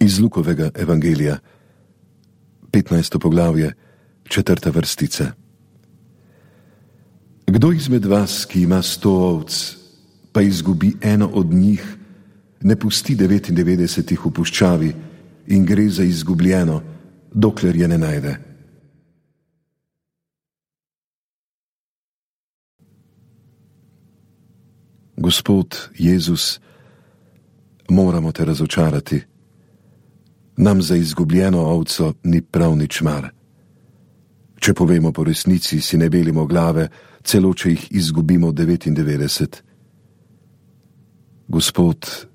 Iz Lukovega evangelija, 15. poglavje, 4. vrstica. Kdo izmed vas, ki ima 100 ovc, pa izgubi eno od njih, ne pusti 99 v puščavi in gre za izgubljeno, dokler je ne najde? Gospod Jezus, moramo te razočarati. Nam za izgubljeno ovco ni prav nič mar. Če povemo po resnici, si ne belimo glave, celo če jih izgubimo 99. Gospod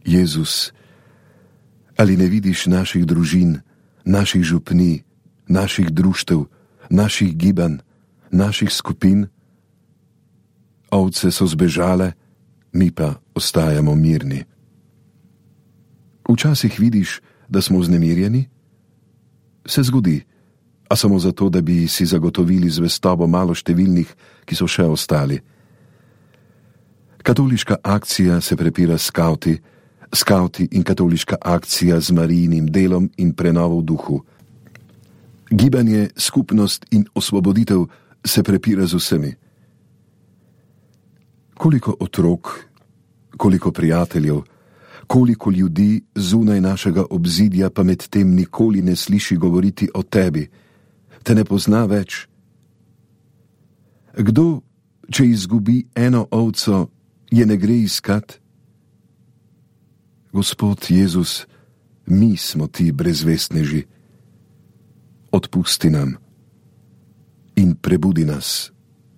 Jezus, ali ne vidiš naših družin, naših župnij, naših društev, naših gibanj, naših skupin? Ovce so zbežale, mi pa ostajamo mirni. Včasih vidiš, da smo vznemirjeni? Se zgodi, a samo zato, da bi si zagotovili zvestobo malo številnih, ki so še ostali. Katoliška akcija se prepira s skavti in katoliška akcija z Marijinim delom in prenovo v duhu. Gibanje, skupnost in osvoboditev se prepira z vsemi. Koliko otrok, koliko prijateljev, koliko ljudi zunaj našega obzidja pa med tem nikoli ne sliši govoriti o tebi, te ne pozna več. Kdo, če izgubi eno ovco, je ne gre iskat? Gospod Jezus, mi smo ti brezvestneži. Odpusti nam in prebudi nas.